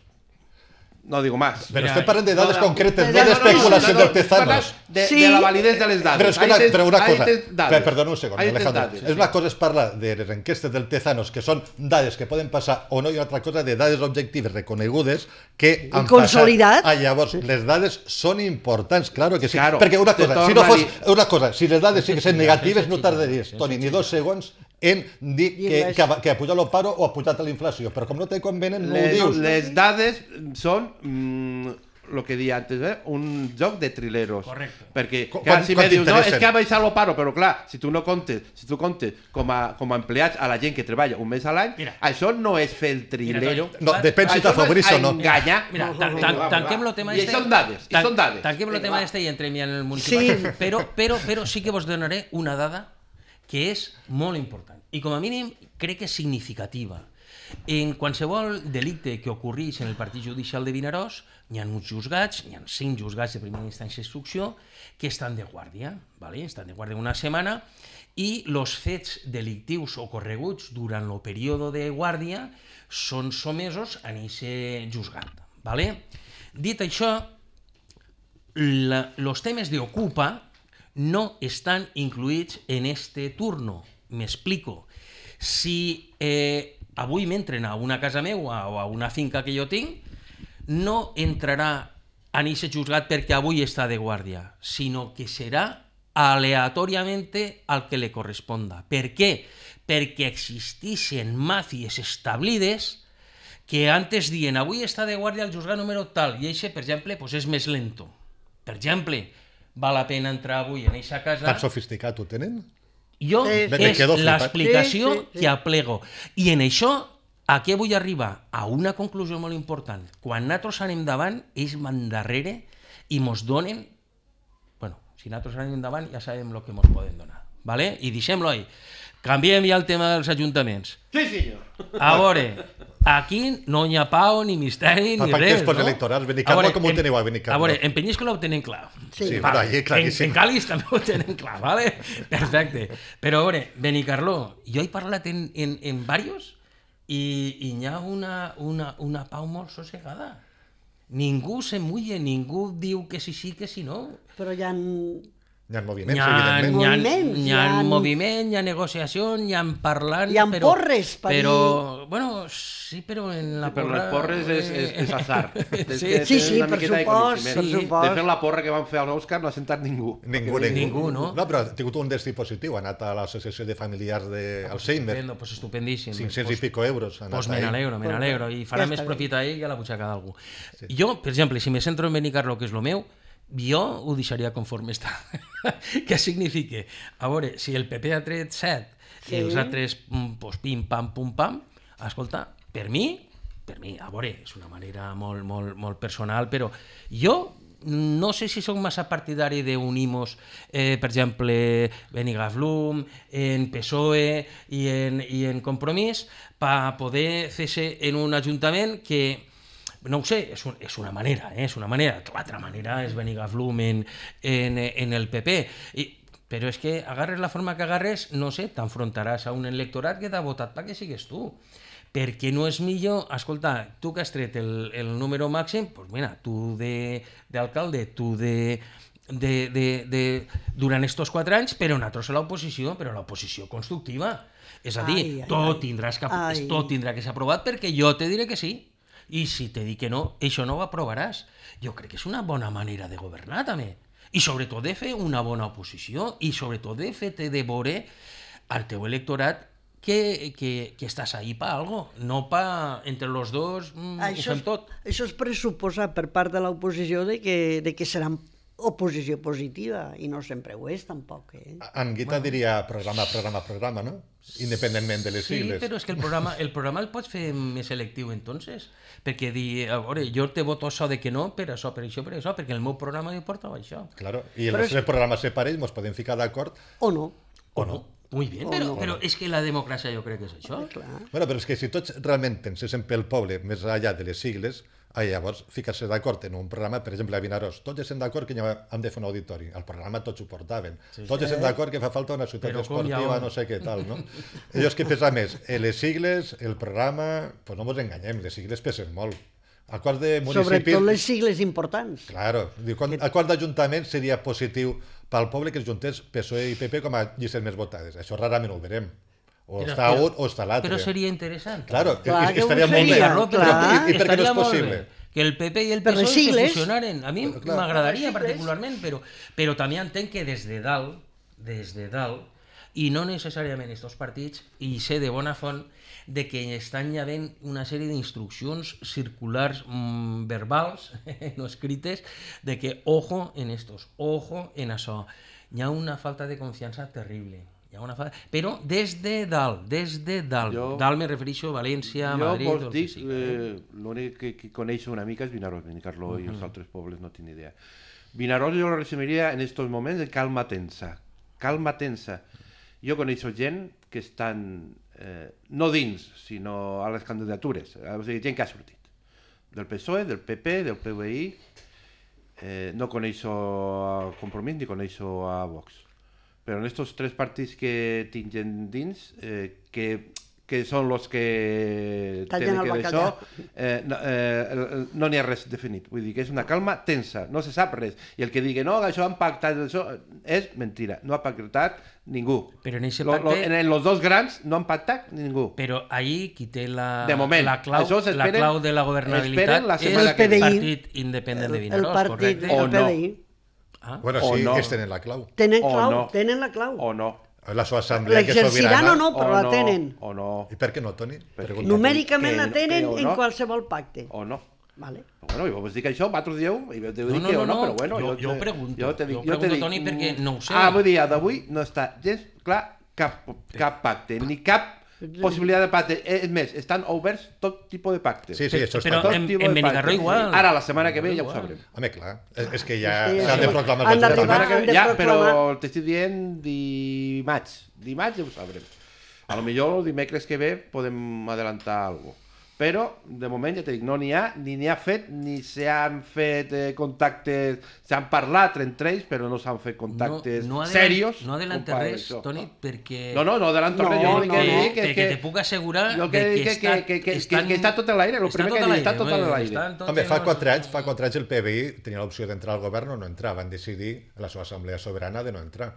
No digo más. Pero Mira, estem parlant de dades no, no, concretes, no, no no, d'especulació no, no, del no, Tezanos. De, Sí. de la validez de les dades. Però, és que Ahí una, tens- però una ahí cosa, tens dades. per, perdona un segon, Ahí tens Alejandro. dades, És sí. una cosa és parlar de les enquestes del Tezanos, que són dades que poden passar o no, i una altra cosa de dades objectives reconegudes que han consolidat. passat. Ah, llavors, les dades són importants, claro que sí. Claro, Perquè una te cosa, si no torna a fos, dir- una cosa, si les dades siguessin negatives, no sense tardaries, xillar, Toni, sense ni dos segons en dir que, Dir-les. que, ha- que ha pujat el paro o ha pujat la inflació. Però com no te convenen, no ho Les, dius. les dades són mm, lo que deia antes, eh? un joc de trileros. Correcte. Perquè, Quan- clar, si quan me dius, no, t'interessen. és que ha baixat el paro, però clar, si tu no comptes, si tu comptes com a, com a empleats a la gent que treballa un mes a l'any, Mira. això no és fer el trilero. Toni, No, depèn si Això t'afavorís no o és no. enganyar. Mira, No, tan, no, tan, va, va, tanquem va. el tema I este... són dades, i tan- són dades. Tanquem el Vinga, tema va. este i entrem ja en el municipal. Sí. Però, però, però sí que vos donaré una dada que és molt important i com a mínim crec que és significativa. En qualsevol delicte que ocorrís en el partit judicial de Vinaròs, hi ha uns juzgats, hi ha cinc juzgats de primera instància d'instrucció que estan de guàrdia, ¿vale? Estan de guàrdia una setmana i els fets delictius ocorreguts durant el període de guàrdia són somesos a aquest juzgat. ¿Vale? Dit això, els temes d'Ocupa no estan incluïts en este turno. M'explico. Si eh, avui m'entren a una casa meua o a una finca que jo tinc, no entrarà en aquest juzgat perquè avui està de guàrdia, sinó que serà aleatòriament al que li corresponda. Per què? Perquè existeixen màfies establides que antes dient avui està de guàrdia el juzgat número tal i això, per exemple, pues és més lento. Per exemple, val la pena entrar avui en aquesta casa... Tan sofisticat ho tenen? Jo Sí, sí. Me és quedo flipat. l'explicació Sí, sí, sí. que aplego. I en això, a què vull arribar? A una conclusió molt important. Quan nosaltres anem davant, ells van darrere i mos donen... Bueno, si nosaltres anem endavant ja sabem el que mos poden donar. ¿Vale? I deixem-lo ahí. Canviem ja el tema dels ajuntaments. Sí, senyor. A veure, aquí no hi ha pau, ni misteri, Pa- ni pactes res, no? postelectorals, Benicarló, com ho en- teniu a Benicarló? A veure, en Penyíscola ho tenen clar. Sí. Sí, Vale. però allí En, claríssim. en Càlis també ho tenen clar, ¿vale? Perfecte. Però a veure, Benicarló, jo he parlat en, en, en varios i, i hi ha una, una, una pau molt sossegada. Ningú se mulla, ningú diu que sí sí, que sí no. Però hi ha... Hi ha moviments, Hi ha, evidentment. hi ha, Moviments, hi hi ha ha- moviment, hi ha negociació, hi ha parlant... Hi ha però, porres per Però, bueno, sí, però en la Però porra... les porres és, és, és azar. Tens Sí, que sí, tenir sí, una per miqueta de supost, coneixement. per supost. De fet, la porra que van fer a l'Òscar no ha sentat ningú. Ningú, Perquè ningú. Ningú, no? No, però ha tingut un destí positiu. Ha anat a l'associació de familiars d'Alzheimer. Estupendo, pues estupendíssim. cinc-cents i Pues- pico euros. Ha anat Pues me ahí. n'alegro, me n'alegro. I farà Ja més està bé. profit a ell i a la butxaca d'algú. Jo, per exemple, si me centro en Benicarló, que és lo meu, jo ho deixaria conforme està. Què significa? A veure, si el P P ha tret set Sí. i els altres mm, pues, pim, pam, pum, pam, escolta, per mi, per mi, a veure, és una manera molt, molt, molt personal, però jo no sé si sóc massa partidari d'unir-nos, eh, per exemple, Benicarló, en P S O E i en, i en Compromís, per poder fer-se en un ajuntament que no ho sé, és, un, és una manera, eh? és una manera. L'altra manera és Benicarló en, en, en el P P. I, però és que agarres la forma que agarres, no sé, t'enfrontaràs a un electorat que t'ha votat perquè sigues tu. Perquè no és millor, escolta, tu que has tret el, el número màxim, doncs mira, tu d'alcalde, tu de, de, de, de, durant estos quatre anys, però nosaltres a l'oposició, però a l'oposició constructiva. És a dir, Ai, ai, tot, ai. tindràs que, Ai. tot tindrà que ser aprovat perquè jo te diré que sí. I si te dic que no, això no ho aprovaràs. Jo crec que és una bona manera de governar, també. I sobretot de fer una bona oposició i sobretot de fer-te de veure al teu electorat que, que, que estàs ahí per algo, no pa entre los dos mm, ho Això fem és, tot. això és pressuposar per part de l'oposició de que, de que serà oposició positiva, i no sempre ho és, tampoc. Eh? En Guita diria programa, programa, programa, no? Independentment de les Sí, sigles. però és que el programa, el programa el pots fer més selectiu, entonces. Perquè dir, a veure, jo te voto això de que no, per això, per això, per això, perquè el meu programa li portava això. Claro. I Però els és- tres programes separats ens podem ficar d'acord. O no. O no? Muy bien, O però, no. però és que la democràcia jo crec que és això. Clar. Bueno, però és que si tots realment penséssim pel poble, més enllà de les sigles, ah, llavors ficar-se d'acord en un programa, per exemple, a Vinaròs, tots estem d'acord que hem de fer un auditori. Al programa tots ho portaven. Sí, tots estem d'acord que fa falta una ciutat Però com hi ha esportiva, on? no sé què tal, no? Allò és que pesa més, eh, les sigles, el programa, pues no ens enganyem, les sigles pesen molt. Acords de municipis... Sobretot les sigles importants. Claro, diu, quan, acord d'Ajuntament seria positiu pel poble que es juntés P S O E i P P com a llistes més votades. Això rarament ho veurem. O Però- està però- un o està l'altre. Però seria interessant. Claro, Clar i- que ho estaria molt bé. seria, Però, clar. I, i per què no estaria és molt possible? bé que el P P i el Per P S O E les se sigles. fusionaren. A mi Clar. m'agradaria Per les sigles. particularment, però, però també entenc que des de dalt, des de dalt, i no necessàriament estos partits, i sé de bona font, de que estan ja havent una sèrie d'instruccions circulars mmm, verbals, no escrites, de que ojo en estos, ojo en això. Hi ha una falta de confiança terrible. Hi ha una falta... Però des de dalt, des de dalt. Jo- Dalt me refereixo a València, Jo Madrid... vos el que dic, sigui. eh, l'únic que, que coneixo una mica és Vinaròs, Benicarló i els altres pobles no tinc ni idea. Vinaròs jo lo resumiria en estos moments de calma tensa. Calma tensa. Jo coneixo gent que estan, eh, no dins, sinó a les candidatures, o sigui, gent que ha sortit. Del P S O E, del P P, del P V I, eh, no coneixo a Compromís ni coneixo a Vox. Però en estos tres partits que tinc gent dins, eh, que, que són els que Tallen tenen el que bacallà. d'això, eh, no eh, no n'hi ha res definit. Vull dir que és una calma tensa, no se sap res. I el que digui, no, això han pactat, això és mentira. No ha pactat ningú. Però en ese Lo- lo- pacte- en los dos grans no han pactat ningú. Però ahí qui té la, De moment, la, clau, això la s'esperen- clau de la governabilitat esperen la és setmana el que ve. partit independent de El Vinaròs, partit correcte? del O no. P D I. Ah, Bueno, O sí, no. ells tenen la clau. Tenen O clau, no. tenen la clau. O no. La seva assemblea que és L'exerciran sobirana... o no, però o la no, tenen. O no. I per què no, Toni? Perquè- Pregunta. Numèricament que la no- tenen que o en no. qualsevol pacte. O no. Vale. Bueno, jo vos dic això, vosaltres dieu, i jo te No, dic no, que no, o no, no, però bueno... jo- te- jo pregunto, jo te dic, jo jo te pregunto, dic, Toni, perquè no ho sé. Ah, avui dia d'avui no està gens clar cap, cap pacte, ni cap possibilitat de pacte. És més, estan oberts tot tipus de pactes. Sí, sí, això Però està Tot clar. en- tipus en de Benicarló pactes. igual. Ara, la setmana que ve, ja ho Igual. sabrem. Home, clar, és, és que ja Sí, s'han sí. de proclamar Han els La d'arribar- setmana que han ve, de ja, proclamar. però t'estic dient dimarts. Dimarts ja ho sabrem. A lo millor el dimecres que ve podem adelantar alguna cosa. Però, de moment, ja t'he dit, no n'hi ha, ni n'hi ha fet, ni s'han fet eh, contactes, s'han parlat entre ells, però no s'han fet contactes no, no adelant- serios. No adelanta com per res, això. Toni, perquè... No, no, no adelanto No, res. Jo no, el que no. dic és perquè que... te puc assegurar Jo el que de dic que, és que, estan, que, que, estan, que està tot a l'aire, el està primer tot que a dic, està l'aire, tot a home, l'aire. estan tots Home, fa en- quatre anys, fa quatre anys el P B I tenia l'opció d'entrar al govern o no entrar. Van decidir, a la seva assemblea soberana, de no entrar.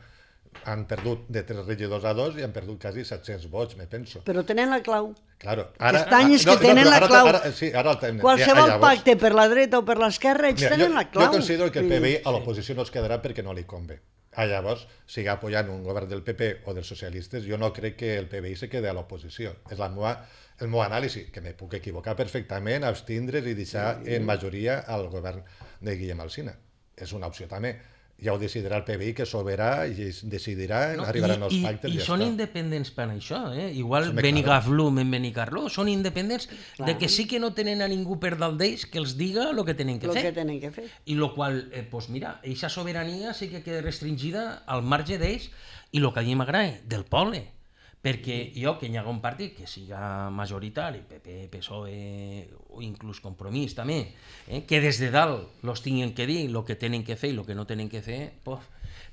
Han perdut de tres regidors a dos i han perdut quasi set-cents vots, me penso. Però tenen la clau. Claro, ara, Aquest any és que no, no, tenen però la ara, clau. Ara, sí, ara el tenen. Qualsevol Ja, llavors- pacte per la dreta o per l'esquerra, ells Mira, tenen jo, la clau. jo considero que el Vull P B I dir, a l'oposició no es quedarà perquè no li convé. Ah, llavors, siga apoyant un govern del P P o dels socialistes, jo no crec que el P B I se quede a l'oposició. És la meva, el meu anàlisi, que me puc equivocar perfectament, abstindre's i deixar en majoria al govern de Guillem Alsina. És una opció també. Ja ho decidirà el P B I, que soberà i es decidirà, no, arribaran els i, pactes i, i ja són està. independents per això, eh? Igual Home, Benigaflum en Benicarló són independents de que sí que no tenen a ningú per dalt d'ells que els diga el que tenen que el fer. que tenen que fer. I lo qual, eh, pues mira, eixa sobirania sí que queda restringida al marge d'ells i el que a mi m'agrada, del poble. Perquè jo, que hi ha un partit que siga majoritari, P P, P S O E o inclús Compromís també, eh, que des de dalt los tinguin que dir el que tenen que fer i el que no tenen que fer, pues,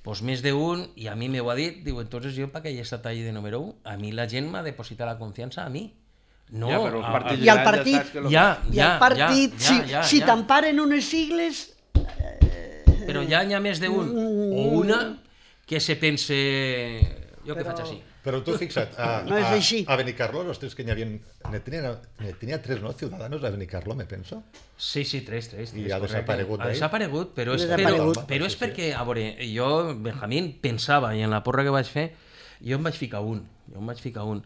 pues més d'un, i a mi m'ho ha dit, diu, entonces jo per què he estat allà de número un? A mi la gent m'ha depositat la confiança a mi. No, Ja, però els a- partits I el grans ja partit- saps que lo- ja, I ja, el partit, ja, si, ja, si ja. t'emparen unes sigles, Però ja n'hi ha més d'un o una que se pense... Jo què Però- faig així? Però tu fixa't, a, No és a, així. a Benicarló, los tres que n'hi havia... Ne tenia, ne tenia tres, no?, ciudadanos a Benicarló, me penso. Sí, sí, tres, tres. I tres, ha correcte. desaparegut Ha d'ahí? desaparegut, però és, Desaparegut. però, però és perquè, a veure, jo, Benjamín, pensava, i en la porra que vaig fer, jo em vaig ficar un, jo em vaig ficar un,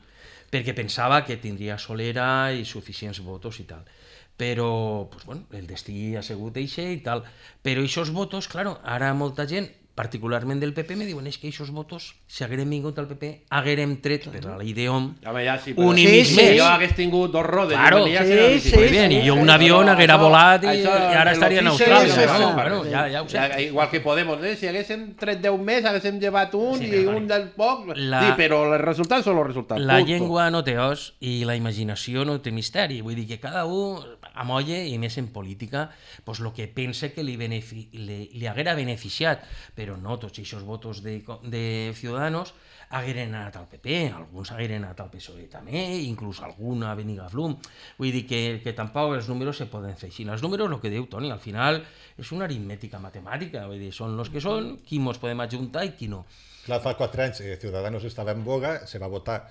perquè pensava que tindria solera i suficients votos i tal. Però, pues, bueno, el destí ha sigut eixe i tal. Però aquests votos, claro, ara molta gent, particularment del P P, me diuen és que aquests votos, si haguérem vingut al P P, haguérem tret per la llei d'Hom Home, ja sí, però... un i Sí, mig sí, més. Si jo hagués tingut dos rodes... Claro, i venia sí, a ser sí, Muy bien, sí, i jo sí, un avió però haguera això- volat i, això, i ara el estaria en ofici Austràlia. és No? això. Bueno, ja, ja ho sé. Ja, igual que Podemos, eh? Si haguéssim tret deu més, haguéssim llevat un Sí, i però, un del poc... la- Sí, però els resultats són els resultats. La punto. llengua no té os i la imaginació no té misteri. Vull dir que cada un amolle, i més en política, pues lo que pensa que li, benefi li, li haguera beneficiat. Però però no tots aquests vots de, de Ciudadanos hagueren anat al P P, alguns hagueren anat al P S O E també, inclús algun a Benigaflum. Vull dir que, que tampoc els números se poden fer així. Els números, el que diu Toni, al final és una aritmètica matemàtica, vull dir, són els que són, qui mos podem ajuntar i qui no. Clar, fa quatre anys eh, Ciudadanos estava en boga, se va votar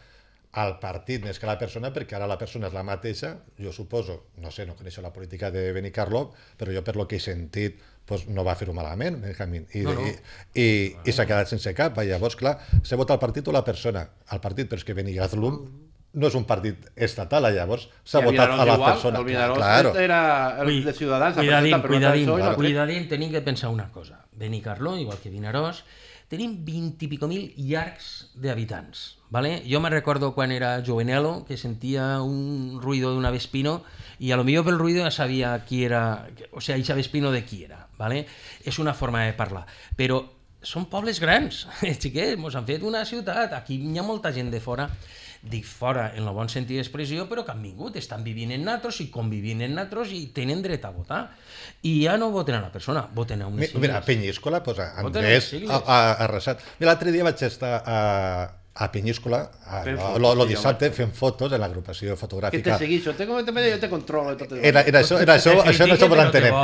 al partit més que a la persona, perquè ara la persona és la mateixa, jo suposo, no sé, no coneixo la política de Benicarló, però jo per lo que he sentit pues, no va fer-ho malament, Benjamín, i, no, no. i, i, no. i s'ha quedat sense cap. Llavors, clar, s'ha votat al partit o la persona? Al partit, però és que Benigazlum no és un partit estatal, llavors s'ha votat a la igual, persona. El Vinaròs claro. Era el de Ciutadans. Cuidadín, cuidadín, claro. cuidadín, tenim que pensar una cosa. Benicarló, igual que Vinaròs, tenim vint i pico mil llargs d'habitants. ¿Vale? Jo me recordo quan era jovenelo que sentia un ruido d'una Vespino i a lo millor pel ruido ja sabia qui era, o sea, eixa Vespino de qui era. ¿Vale? És una forma de parlar. Però són pobles grans, xiquets, mos han fet una ciutat. Aquí hi ha molta gent de fora, dic fora en el bon sentit d'expressió, però que han vingut, estan vivint en natros i convivint en natros i tenen dret a votar. I ja no voten a la persona, voten a unes sigles. Mira, a Penyíscola, pues, Andrés ha, ha arrasat. Mira, l'altre dia vaig estar a, a Penyíscola, a, lo, lo dissabte, fent fotos en l'agrupació fotogràfica. Que te seguixo, te, te, jo te controlo. Tot era, era això, era això, això no ho entenem.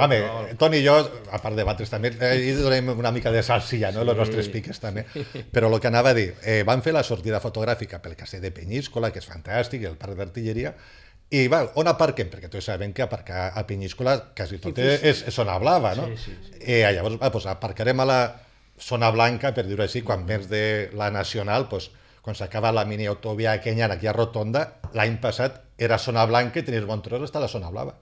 Home, Toni i jo, a part de batres també, hi donem una mica de salsilla, no?, els nostres piques també. Però el que anava a dir, eh, van fer la sortida fotogràfica pel castell de Penyíscola, que és fantàstic, el parc d'artilleria, i va, on aparquem? Perquè tots sabem que aparcar a Penyíscola quasi tot és, és zona blava, no? Sí, sí, sí. Eh, llavors, va, pues, aparcarem a la zona blanca, per dir-ho així, quan vens de la Nacional, pues, quan s'acaba la mini autovia aquella, aquí a Rotonda, l'any passat era zona blanca i tenies bon tros hasta la zona blava.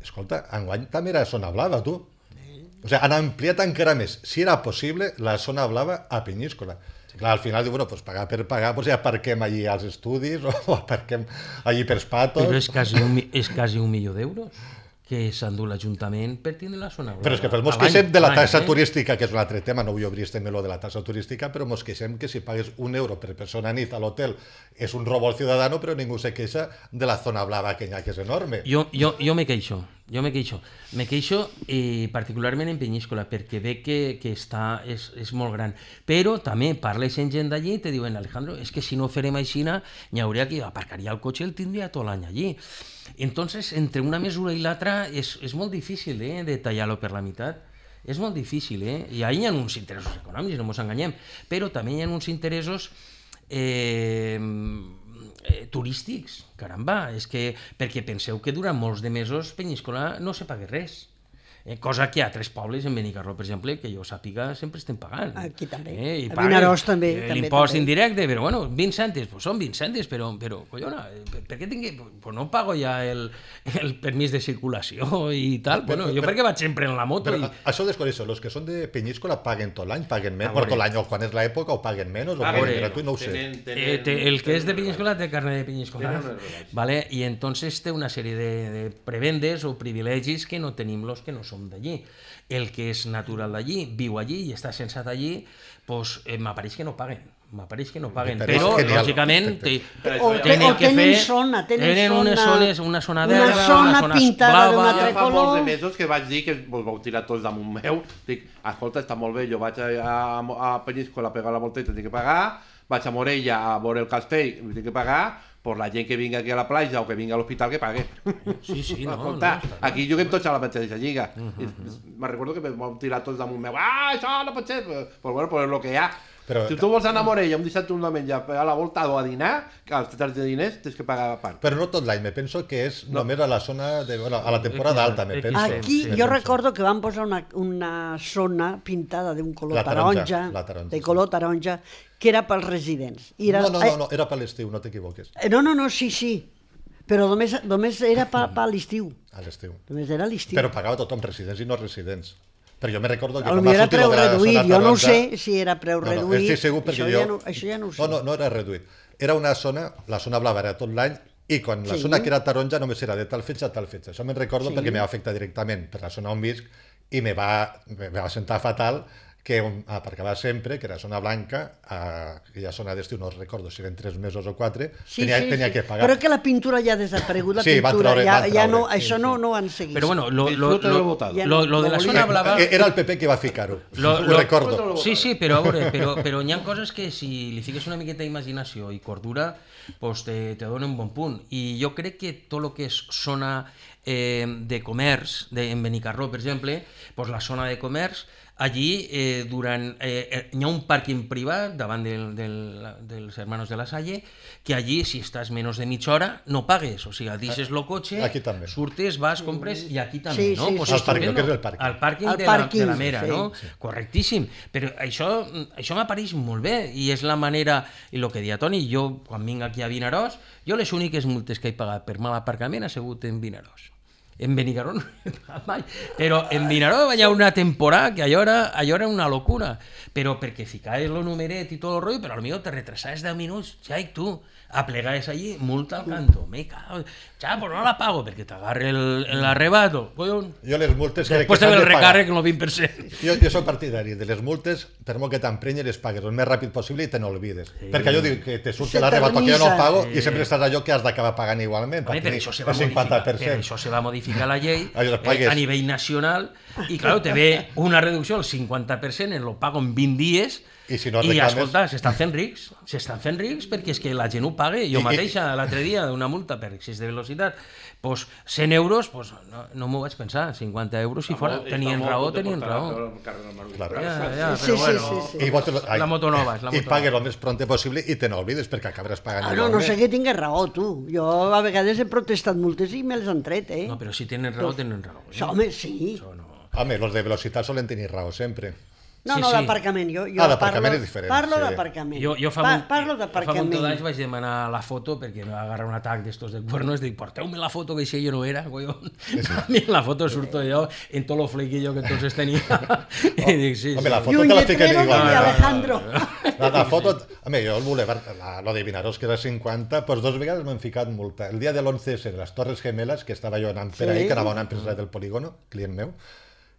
Escolta, enguany també era zona blava, tu. O sigui, han ampliat encara més, si era possible, la zona blava a Penyíscola. Clar, al final diu, bueno, pues pagar per pagar, pues ja aparquem allí als estudis o aparquem allí pels patos. Però és quasi un, és quasi un milió d'euros que s'endú l'Ajuntament per tindre la zona blava. Però és que mos queixem de la taxa turística, que és un altre tema, no vull obrir este meló de la taxa turística, però mos queixem que si pagues un euro per persona a nit a l'hotel és un robo al ciudadano, però ningú se queixa de la zona blava aquella, que és enorme. Jo, jo, jo me queixo, jo me queixo. Me queixo eh, particularment en Penyíscola, perquè veig que, que està, és, és molt gran. Però també parles amb gent d'allí i te diuen, Alejandro, és que si no farem aixina, n'hi hauria que aparcaria el cotxe i el tindria tot l'any allí. Entonces, entre una mesura i l'altra és, és molt difícil eh, de tallar-lo per la meitat. És molt difícil, eh? I ahí hi ha uns interessos econòmics, no ens enganyem, però també hi ha uns interessos eh, eh, turístics. Caramba, és que, perquè penseu que durant molts de mesos Penyíscola no se paga res. Eh, cosa que a altres pobles, en Benicarló, per exemple, que jo sàpiga, sempre estem pagant. Aquí també. Eh, a Vinaròs també. Eh, L'impost indirecte, però bueno, vint cèntims, pues són vint cèntims, però, però collona, per, per què tingui... Pues no pago ja el, el permís de circulació i tal. Però, bueno, jo però, perquè vaig sempre en la moto. Però, I... Això desconeixo, els que són de Penyíscola paguen tot l'any, paguen menys, per tot l'any, o quan és l'època, o paguen menys, o paguen gratuït, no ho sé. Tenen, tenen, eh, te, el que és de Penyíscola té carnet de Penyíscola, vale? I entonces té una sèrie de, de prebendes o privilegis que no tenim los que no som d'allí. El que és natural d'allí, viu allí i està censat allí, pues, eh, m'apareix que no paguen. M'apareix que no paguen, però, però lògicament te, o, tenen que fer... Zona, tenen, tenen unes zones, una zona verda, una zona, una zona pintada d'un altre color. Ja fa molts de mesos que vaig dir que vos vau tirar tots damunt meu. Dic, escolta, està molt bé, jo vaig a, a, a Penyíscola a pegar la volteta, tinc que pagar, vaig a Morella a veure el castell, tinc que pagar, per la gent que vinga aquí a la platja o que vinga a l'hospital que pague. Sí, sí, no, escolta, no, aquí juguem tots a la mateixa lliga. Uh -huh. Me recordo que vam tirar tots damunt meu. Ah, això no pot ser! Però bueno, però és el que hi ha. Però, si tu vols anar a Morella un dissabte o un diumenge a la volta o a dinar, que als tetres de diners tens que pagar a part. Però no tot l'any, me penso que és no. només a la zona, de, bueno, a la temporada alta, me penso. Aquí sí, jo recordo que van posar una, una zona pintada d'un color la taronja, taronja, la taronja, de color taronja, que era pels residents. I era, no, no, no, no, era per l'estiu, no t'equivoques. No, no, no, sí, sí, però només, només era per, per l'estiu. A l'estiu. Només era l'estiu. Però pagava tothom, residents i no residents. Però jo me recordo que... Potser era preu reduït, jo no ho sé si era preu no, no, reduït, estic segur perquè això, jo... ja no, això ja no ho sé. No, no, no era reduït. Era una zona, la zona blava era tot l'any, i quan la sí. zona que era taronja només era de tal fetge a tal fetge. Això me'n recordo sí. perquè me va afectar directament per la zona on visc i me va, me va sentar fatal que on aparcava sempre, que era zona blanca, a aquella zona d'estiu, no recordo si eren tres mesos o quatre, Sí, tenia, sí, tenia sí. que pagar. Però que la pintura ja ha desaparegut, la Sí, va pintura, traure- ja, va ja no, traure, això no, no ho han seguit. Però bueno, lo, lo, Disfruta de lo, lo votado. lo, lo de la zona blava... Eh, Era el P P que va ficar-ho, Lo- ho lo- recordo. Sí, sí, però a veure, però, però hi ha coses que si li fiques una miqueta d'imaginació i cordura, pues te, te donen un bon punt. I jo crec que tot el que és zona eh, de comerç, de, en Benicarló, per exemple, pues la zona de comerç, allí eh, durant, eh, hi ha un pàrquing privat davant del, del, dels Hermanos de la Salle, que allí, si estàs menys de mitja hora, no pagues, o sigui, deixes el cotxe, Aquí també. surtes, vas, compres, i aquí també, Sí, no? sí, Pues sí, Al sí. pàrquing, que és el pàrquing. Al pàrquing, Al de, la, de pàrquing, la Mera, sí. no? Correctíssim, però això, això m'apareix molt bé i és la manera, i el que deia Toni, jo quan vinc aquí a Vinaròs, jo les úniques multes que he pagat per mal aparcament ha sigut en Vinaròs. En Benicarló no he pagat mai, però en Vinaròs hi ha una temporada que allò era, allò era una locura, però perquè ficaves el numeret i tot el rotllo, però potser te retrasaves deu minuts, ja i tu, aplegaves allí, multa al canto, me cago, ja, pues no la pago, perquè t'agarre el, el arrebato, collons. Jo les multes crec Després que de s'han el de pagar. recàrrec, el vint per cent. Jo, jo soc partidari de les multes, per molt que t'emprenyi, les pagues el més ràpid possible i te n'olvides. Sí. Perquè jo dic que te surt Se l'arrebato que jo no t'agrisa. pago i sempre estàs allò que has d'acabar pagant igualment. Home, per per tenir això se va el cinquanta modificar, per per cent. això se va modificar la llei Allò, eh, pagues. a nivell nacional i, clar, te ve una reducció del cinquanta per cent en lo pago en vint dies I si no i reclames- escolta, s'estan fent rics, s'estan fent rics perquè és que la gent ho paga. Jo I- i- mateixa l'altre dia una multa per excés de velocitat, pues, cent euros, pues, no, no m'ho vaig pensar, cinquanta euros si fora, tenien raó, tenien raó. Claro. Ja, ja, Sí, però sí, bueno, sí, sí. I vols, ai, la moto nova, és la I moto pagues nova. el més pronte possible i te n'oblides perquè acabaràs pagant Ah, no, igualment. no sé que tingués raó, tu. Jo a vegades he protestat multes i me les han tret, eh? No, però si tenen raó, tenen raó. Això, home, sí. Això no. Home, los de velocitat solen tenir raó sempre. No, Sí, no, sí. d'aparcament. Jo, jo Ah, d'aparcament parlo- és diferent, Parlo sí. d'aparcament. Jo, jo fa, Pa, molt, parlo jo fa molt d'aparcament. d'anys vaig demanar la foto perquè me va agarrar un atac d'estos de cuernos, dic, porteu-me la foto que això jo no era, collons. A mi en la foto surto jo en tot lo flequillo que entonces tenia. I dic, sí, Home, sí. la I foto un te la fiquen lletrero igual. com de Alejandro. La, la foto... Home, jo el Boulevard, la, lo de Vinaròs, que era cinquanta, doncs dos vegades m'han ficat multa. El dia de l'once esse de les Torres Gemelas, que estava jo anant per Sí. ahí, que anava a una empresa del polígono, client meu,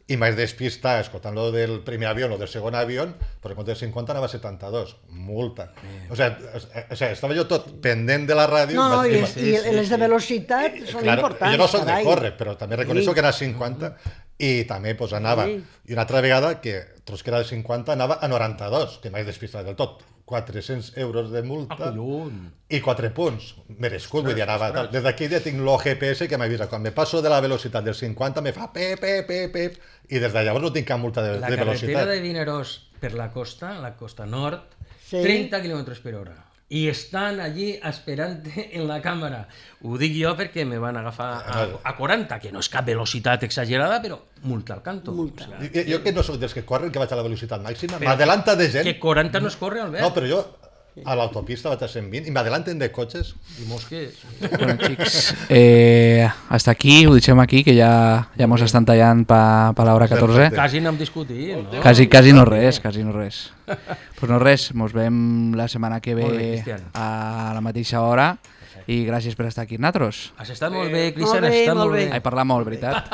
i m'haig despistar escoltant lo del primer avió o del segon avió, però en compte de cinquanta anava a setanta-dos. Multa. O sigui, o sigui, estava jo tot pendent de la ràdio. No, no, vaig- i, vaig- i les de velocitat són Claro, importants. jo no soc de carai. córrer, però també reconeixo Sí. que era cinquanta i també pues, anava. Sí. I una altra vegada, que tros que era de cinquanta, anava a noranta-dos, que m'haig despistat del tot. quatre-cents euros de multa Ah, collons. i quatre punts. Merescut, vull dir, anava tal. Des d'aquí ja tinc l'O G P S que m'avisa. Quan me passo de la velocitat del cinquanta me fa pep, pep, pep, pep, i des de llavors no tinc cap multa de, La de carretera velocitat. de Vinaròs per la costa, la costa nord, Sí. trenta quilòmetres per hora. I estan allí esperant en la càmera. Ho dic jo perquè me van agafar a, a quaranta, que no és cap velocitat exagerada, però multa al canto. Multa. O sigui, Jo, jo que no sóc dels que corren, que vaig a la velocitat màxima, m'adelanta de gent. que quaranta no es corre, Albert. No, però jo a l'autopista vaig a cent vint i m'adelanten de cotxes. I mosques. Bueno, xics, eh, hasta aquí, ho deixem aquí, que ja, ja mos estan tallant pa, pa l'hora catorze. Quasi n'hem discutit, no? Quasi, quasi no res, quasi no res. Pues no res, mos veiem la setmana que Molt bé, ve Cristian. a la mateixa hora i gràcies per estar aquí amb nosaltres. Has estat molt bé, Cristian, Molt has bé, estat molt molt bé. bé. He parlat molt, veritat?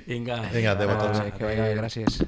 Vinga. Vinga, adéu a tots. Que vagi bé, gràcies.